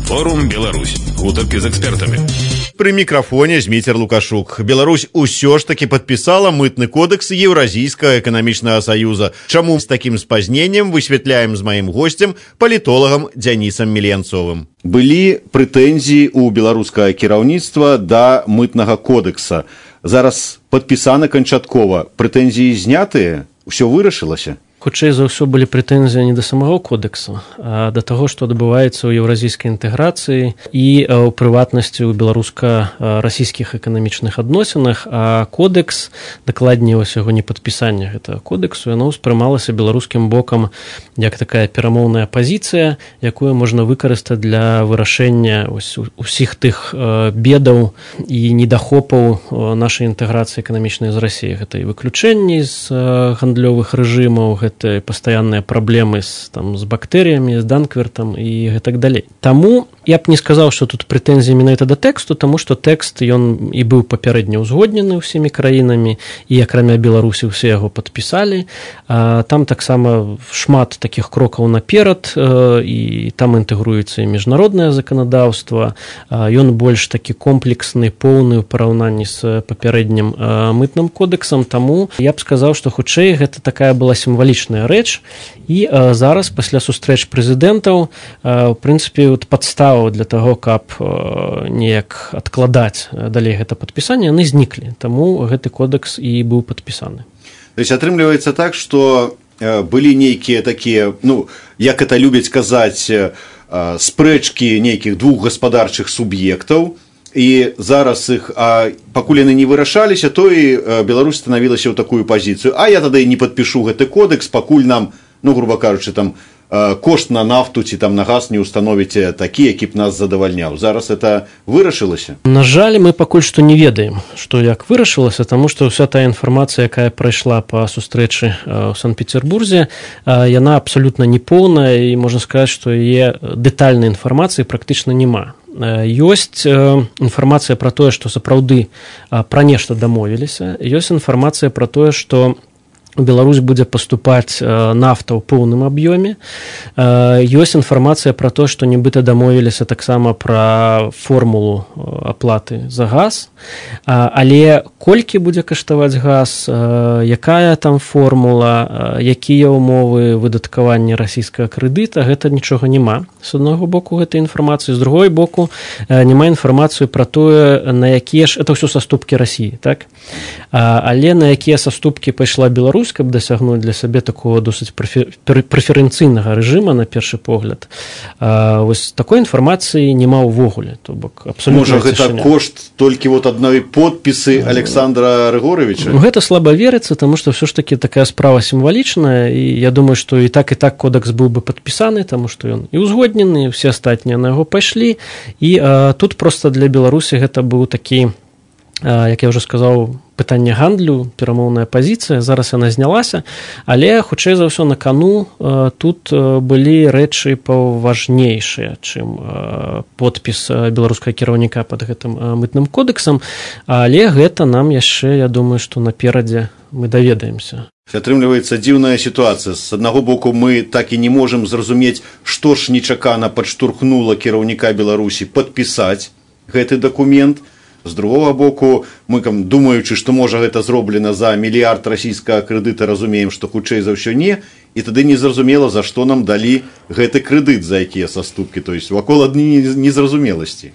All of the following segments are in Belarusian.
Форум Беларусь. Гутарки з экспертамі. При мікрафоне Зміцер Лукашук. Беларусь усё ж таки подписала мытный кодекс Евразийского экономичного союза. Чаму с таким спазнением высветляем с моим гостем, политологом Дзянісам Меленцовым. Былі прэтэнзіі у беларускага кіраўніцтва да мытнага кодекса. Зараз падпісана канчаткова. Прэтэнзіі знятыя? Усё вырашылася? Хутчэй за ўсё былі прэтэнзіі не да самого кодексу, а да таго, што адбываецца ў еўразійскай інтэграцыі і ў прыватнасці ў беларуска-расійскіх эканамічных адносінах, а кодекс, дакладней вось яго непадпісанне гэтага кодексу, яно ўспрымалася беларускім бокам як такая перамоўная пазіцыя, якую можна выкарыстаць для вырашэння усіх тых бедаў і недахопаў нашай інтэграцыі эканамічнай з Расіяй. Гэта і выключэнні з гандлёвых рэжымаў, гэта пастаянныя праблемы з бактэрыямі, з данквертам і гэтак далей. Таму я б не сказаў, што тут прэтэнзіі менавіта да тэксту, таму што тэкст ён і быў папярэдне ўзгоднены ўсімі краінамі, і акрамя Беларусі ўсе яго падпісалі. Там таксама шмат такіх крокаў наперад, і там інтэгруецца і міжнароднае заканадаўства. Ён больш такі комплексны, поўны ў параўнанні з папярэднім мытным кодексам, таму я б сказаў, што хутчэй гэта такая была сімвалічная рэч, і зараз пасля сустрэч прэзідэнтаў у прынцыпе падставаў для таго, каб неяк адкладаць далей гэта падпісанне, яны зніклі, таму гэты кодекс і быў падпісаны. То есть атрымліваецца так, што былі нейкія такія, як это любяць казаць, спрэчкі нейкіх двух гаспадарчых суб'ектаў, і зараз іх, пакуль яны не вырашаліся, то і Беларусь станавілася ў такую пазіцыю. А я тады не падпішу гэты кодекс, пакуль нам, груба кажучы, кошт на нафту ці на газ не ўстановіце такі, які б нас задавальняў. Зараз это вырашылася? На жаль, мы пакуль што не ведаем, што як вырашылася, таму што ўся тая інфармацыя, якая прайшла па сустрэчы ў Санкт-Петербурзе, яна абсалютна непоўная, і можна сказаць, што яе дэтальнай інфармацыі практычна няма. Ёсць інфармацыя пра тое, што сапраўды пра нешта дамовіліся, ёсць інфармацыя пра тое, што Беларусь будзе паступаць нафта ў поўным аб'ёме. Ёсць інфармацыя пра то, што нібыта дамовіліся таксама пра формулу аплаты за газ, але колькі будзе каштаваць газ, якая там формула, якія ўмовы выдаткавання расійскага крэдыта, гэта нічога няма. З аднаго боку гэтай інфармацыі, з другой боку няма інфармацыю пра тое, на якія ж, это ўсё саступкі Расіі, так? Але на якія саступкі пайшла Беларусь, каб дасягнуць для сябе такого досыць прэферэнцыйнага рэжыма, на першы погляд. Вось такой інфармацыі няма ўвогуле. То бок абсалютна можа, гэта кошт толькі адной подпісы Александра Рыгоровича? Гэта слаба верыцца, таму што ўсё ж такі такая справа сімвалічная, і я думаю, што і так кодекс быў бы падпісаны, таму што ён і ўзгоднены, все астатнія на яго пайшлі, і тут проста для Беларусі гэта быў такі, як я ўжо сказаў, пытанне гандлю, перамоўная пазіцыя, зараз яна знялася, але хутчэй за ўсё на кану тут былі рэчы паважнейшыя, чым подпіс беларускага кіраўніка пад гэтым мытным кодексам, але гэта нам яшчэ, я думаю, што наперадзе мы даведаемся. Атрымліваецца дзіўная сітуацыя. З аднаго боку, мы так і не можам зразумець, што ж нечакана падштурхнула кіраўніка Беларусі падпісаць гэты дакумент. З другога боку, мы, думаючы, што можа гэта зроблена за мільярд расійскага крэдыта, разумеем, што хутчэй за ўсё не, і тады незразумела, за што нам далі гэты крэдыт, за якія саступкі, то есть вакол адны незразумеласці.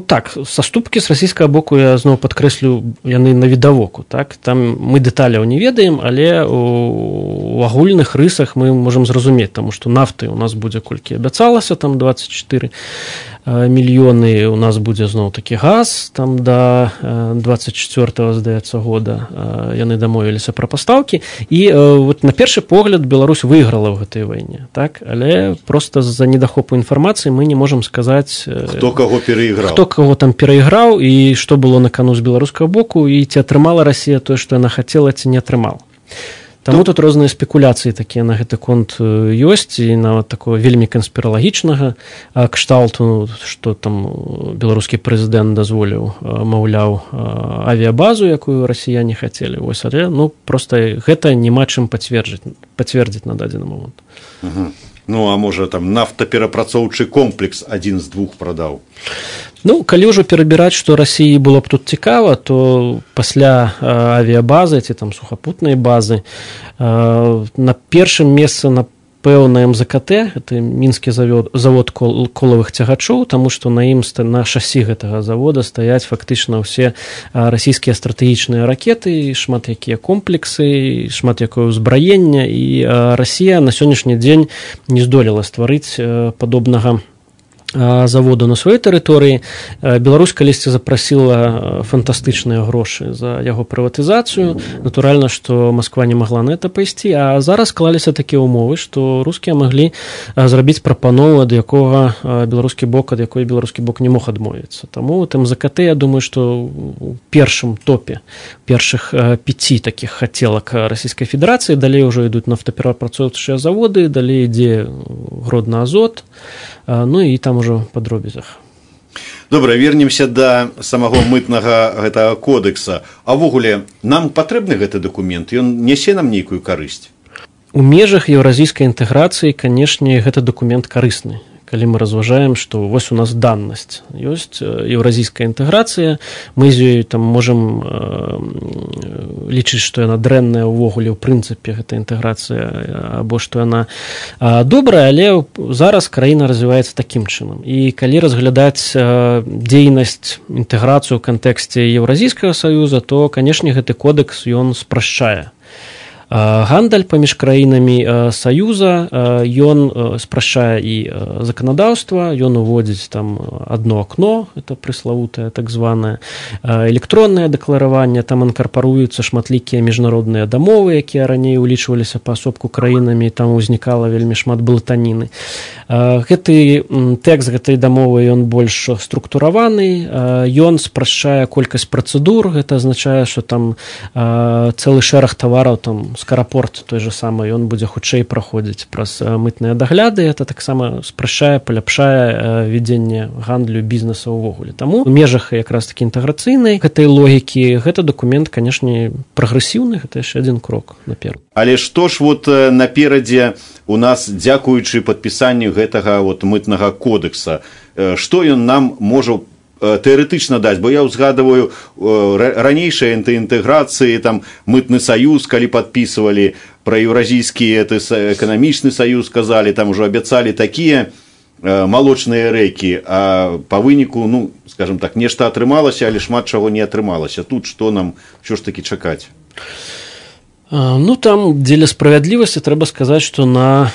Так, саступкі з расійскага боку, я зноў падкрэслю, яны навідавоку, так? Там мы дэталяў не ведаем, але у агульных рысах мы можам зразумець, таму што нафты у нас будзе колькі абяцалася, там 24 мільёны, у нас будзе зноў такі газ, там да 24-го, здаецца, года яны дамовіліся пра пастаўкі, і на першы погляд Беларусь выйграла ў гэтай вайне, так? Але проста з-за недахопу інфармацыі мы не можам сказаць, хто каго перайграў. Хто каго там перайграў, і што было на кану з беларускага боку, і ці атрымала Расія тое, што яна хацела, ці не атрымала. Таму тут розныя спекуляцыі такія на гэты конт ёсць, і нават такого вельмі канспіралагічнага кшталту, што там беларускі прэзідэнт дазволіў, маўляў, авіябазу, якую расіяне хацелі. Вось, але, проста гэта няма чым пацвердзіць на дадзены момант. Ну, а можа там нафтаперапрацоўчы комплекс адзін з двух прадаў. Ну, калі ўжо перабіраць, што Расіі было б тут цікава, то пасля авіябазы ці там сухапутнай базы на першым месцы напэўна МЗКТ, гэта мінскі завод колавых цягачоў, таму што на ім на шасі гэтага завода стаяць фактычна ўсе расійскія стратэгічныя ракеты, шмат якія комплексы, шмат якое ўзбраенне, і Расія на сённяшні дзень не здолела стварыць падобнага заводу на сваёй тэрыторыі. Беларусь калісьці запрасіла фантастычныя грошы за яго прыватызацыю. Натуральна, што Масква не магла на это пайсці, а зараз склаліся такія ўмовы, што рускія маглі зрабіць прапанову, ад якой беларускі бок не мог адмовіцца. Таму МЗКТ, я думаю, што у першым топе першых 5 такіх хацелак Расійскай Федэрацыі, далей ўжо ідуць нафтаперапрацоўчыя заводы, далей ідзе Гродны Азот, ну і там ужо па дробязях. Добра, вернемся да самого мытнага гэтага кодекса. А ўвогуле, нам патрэбны гэты дакумент? Ён нясе нам нейкую карысць? У межах еўразійскай інтэграцыі, канешне, гэты дакумент карысны. Калі мы разважаем, што вось у нас даннасць. Ёсць еўразійская інтэграцыя, мы з ёй там можам лічыць, што яна дрэнная ўвогуле ў прынцыпе, гэта інтэграцыя, або што яна добрая, але зараз краіна развіваецца такім чынам. І калі разглядаць дзейнасць, інтэграцыю ў кантэксце Еўразійскага саюза, то, канешне, гэты кодекс ён спрашчае гандаль паміж краінамі саюза, ён спрашчае і заканадаўства, ён уводзіць там одно акно, это прыславутае так званае электроннае дэклараванне, там інкарпаруюцца шматлікія міжнародныя дамовы, якія раней улічваліся паасобку краінамі, там узнікала вельмі шмат блытаніны. Гэты тэкст гэтай дамовы ён больш структураваны, ён спрашчае колькасць працэдур, гэта азначае, што там цэлы шэраг тавараў, там скарапорт той же самы, ён будзе хутчэй праходзіць праз мытныя дагляды, это таксама спрашчае, паляпшае вядзенне гандлю, бізнеса ўвогуле. Таму у межах якраз такі інтэграцыйнай гэтай логікі гэты дакумент, канешне, прагрэсіўны, гэта яшчэ адзін крок наперад. Але што ж вот наперадзе у нас, дзякуючы падпісанню гэтага вот мытнага кодекса, што ён нам можа тэарэтычна даць, бо я ўзгадываю ранейшыя інтэграцыі, там мытны саюз, калі падпісывалі пра еўразійскі эканамічны саюз, казалі, там ужо абяцалі такія малочныя рэкі, а па выніку, ну, скажем так, нешта атрымалася, але шмат чаго не атрымалася. Тут што нам ўсё ж такі чакаць? Ну, там дзеля справядлівасці трэба сказаць, што на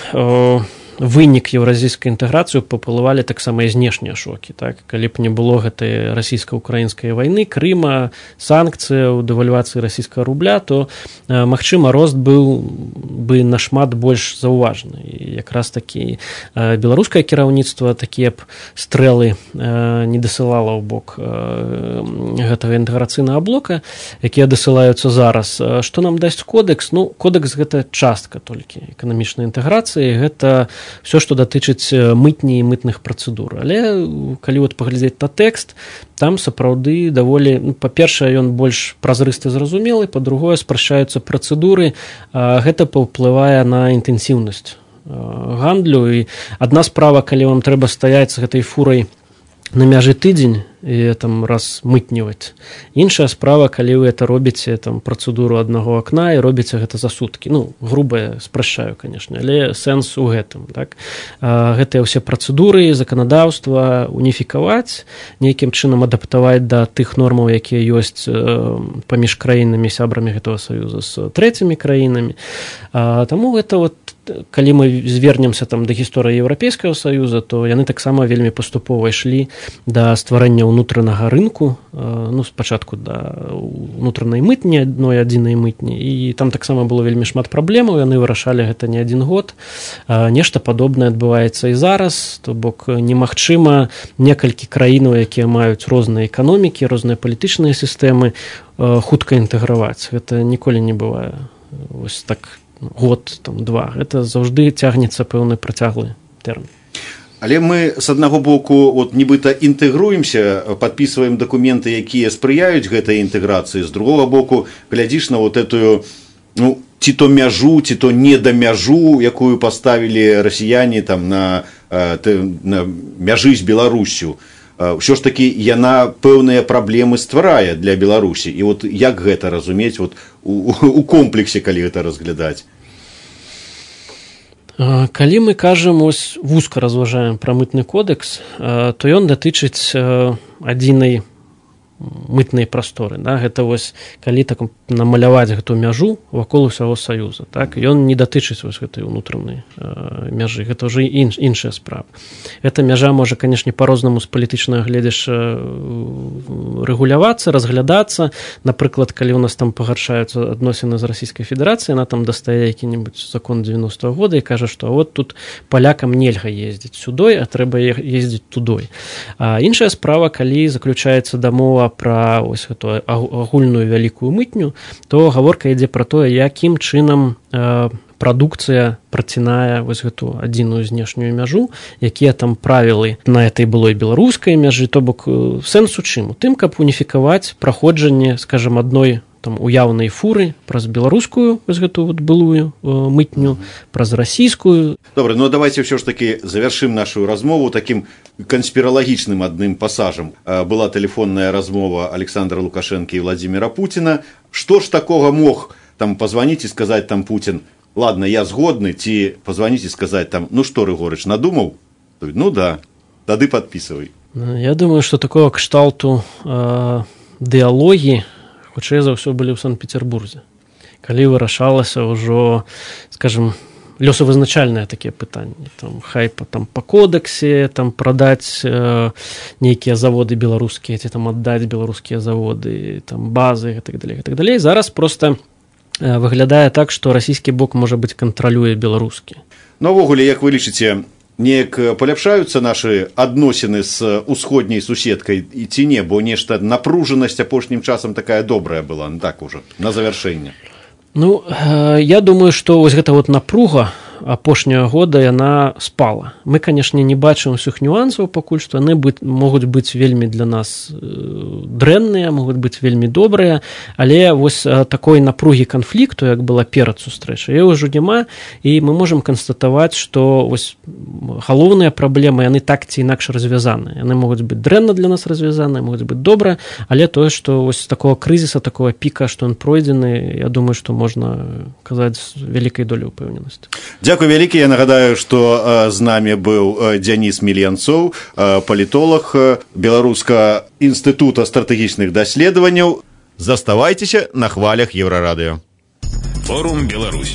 вынік еўразійскай інтэграцыі паплывалі таксама і знешнія шокі. Так? Калі б не было гэтай расійска-украінскай вайны, Крыма, санкцыяў, дэвальвацыі расійскага рубля, то, магчыма, рост быў бы нашмат больш заўважны. І якраз такі беларускае кіраўніцтва такія б стрэлы не дасылала ў бок гэтага інтэграцыйнага блока, якія дасылаюцца зараз. Што нам дасць кодекс? Ну, кодекс гэта частка толькі эканамічнай інтэграцыі, гэта все, што датычыць мытні і мытных працэдур. Але калі вот паглядзець на тэкст, там сапраўды даволі, ну, па-першае, ён больш празрысты, зразумелы, па-другое, спрашчаюцца працэдуры, гэта паўплывае на інтэнсіўнасць гандлю. І адна справа, калі вам трэба стаяць з гэтай фурай на мяжы тыдзень і там раз мытніваць. Іншая справа, калі вы это робіце там працэдуру аднаго акна і робіце гэта за суткі. Ну, груба спрашчаю, канешне, але сэнс у гэтым, так? Гэтыя ўсе працэдуры, заканадаўства уніфікаваць, нейкім чынам адаптаваць да тых нормаў, якія ёсць паміж краінамі, сябрамі гэтага саюза з трэцімі краінамі. Таму гэта вот, калі мы звернемся там да гісторыі Еўрапейскага саюза, то яны таксама вельмі паступова ішлі да стварэння ўнутранага рынку, ну, спачатку да ўнутранай мытні, адной адзінай мытні, і там таксама было вельмі шмат праблемаў, яны вырашалі гэта не адзін год. Нешта падобнае адбываецца і зараз, то бок немагчыма некалькі краінаў, якія маюць розныя эканомікі, розныя палітычныя сістэмы, хутка інтэграваць. Гэта ніколі не бывае. Вось так год, там, два. Гэта заўжды цягнецца пэўны працяглы тэрмін. Але мы з аднаго боку вот, нібыта інтэгруемся, падпісваем дакументы, якія спрыяюць гэтай інтэграцыі, з другога боку глядзіш на вот этую, ну, ці то мяжу, ці то не да мяжу, якую паставілі расіяне там на мяжы з Беларусю. Ўсё ж такі яна пэўныя праблемы стварае для Беларусі. І вот як гэта разумець вот, у комплексе, калі гэта разглядаць? Калі мы кажам, ось вузка разважаем пра мытны кодэкс, то ён датычыць адзінай мытнай прасторы. Да? Гэта вось, калі так намаляваць гэту мяжу вакол усяго Саюза. Так? Ён не датычыць вось гэтай унутранай мяжы. Гэта ўжо іншая справа. Эта мяжа можа, канешне, па-рознаму з палітычнага гледзяшча рэгулявацца, разглядацца. Напрыклад, калі ў нас там пагаршаюцца адносіны з Расійскай Федэрацыяй, яна там дастае які-небудзь закон 90-го года і кажа, што вот тут палякам нельга ездзіць сюдой, а трэба ездзіць тудой. А іншая справа, калі заключаецца дамова пра ось гэту агульную вялікую мытню, то гаворка ідзе пра тое, якім чынам прадукцыя працінае вось гэту адзіную знешнюю мяжу, якія там правілы на этой былой беларускай мяжы, то бок сэнс у чым? У тым, каб уніфікаваць праходжанне, скажам, адной там уяўнай фуры праз беларускую вось гэту вот былую мытню, праз расійскую. Добра, ну давайте ўсё ж таки завершым нашу размову таким канспіралагічным адным пасажам. Была тэлефонная размова Александра Лукашенко і Владимира Путина. Што ж такога мог там позвонить и сказать там Путин: ладно, я згодны, ці позвонить и сказать там: ну что, Рыгорыч, надумал? Ну да, тады подписывай. Я думаю, что такого кшталту дыалогі хутчэй за ўсё былі ў Санкт-Петербурзе, калі вырашалася ўжо, скажем, лёсавызначальныя такія пытанні, там хай там па кодексе там прадаць нейкія заводы беларускія, ці там аддаць беларускія заводы, там базы і так далей, і так далей. Зараз просто выглядае так, што расійскі бок, можа быць, кантралюе беларускі. Ну, увогуле, як вы лічыце, неяк паляпшаюцца нашы адносіны з усходняй суседкай і ці не, бо нешта напружанасць апошнім часам такая добрая была, ну так ужо, на завяршэнне? Ну, я думаю, што вось гэта вот напруга апошняга года яна спала. Мы, канешне, не бачым усіх нюансаў пакуль што, яны могуць быць вельмі для нас дрэнныя, могуць быць вельмі добрыя, але вось такой напругі канфлікту, як была перад сустрэчай, ўжо няма, і мы можам канстатаваць, што вось галоўныя праблемы, яны так ці інакш развязаны. Яны могуць быць дрэнна для нас развязаны, могуць быць добра, але тое, што вось такого крызіса, такого піка, што ён пройдзены, я думаю, што можна казаць з вялікай доляй упэўненасці. Дзякуй вялікі. Я нагадаю, што з намі быў Дзяніс Мільянцоў, палітолог Беларускага інстытута стратэгічных даследаванняў. Заставайцеся на хвалях Еўрарадыё. Форум Беларусь.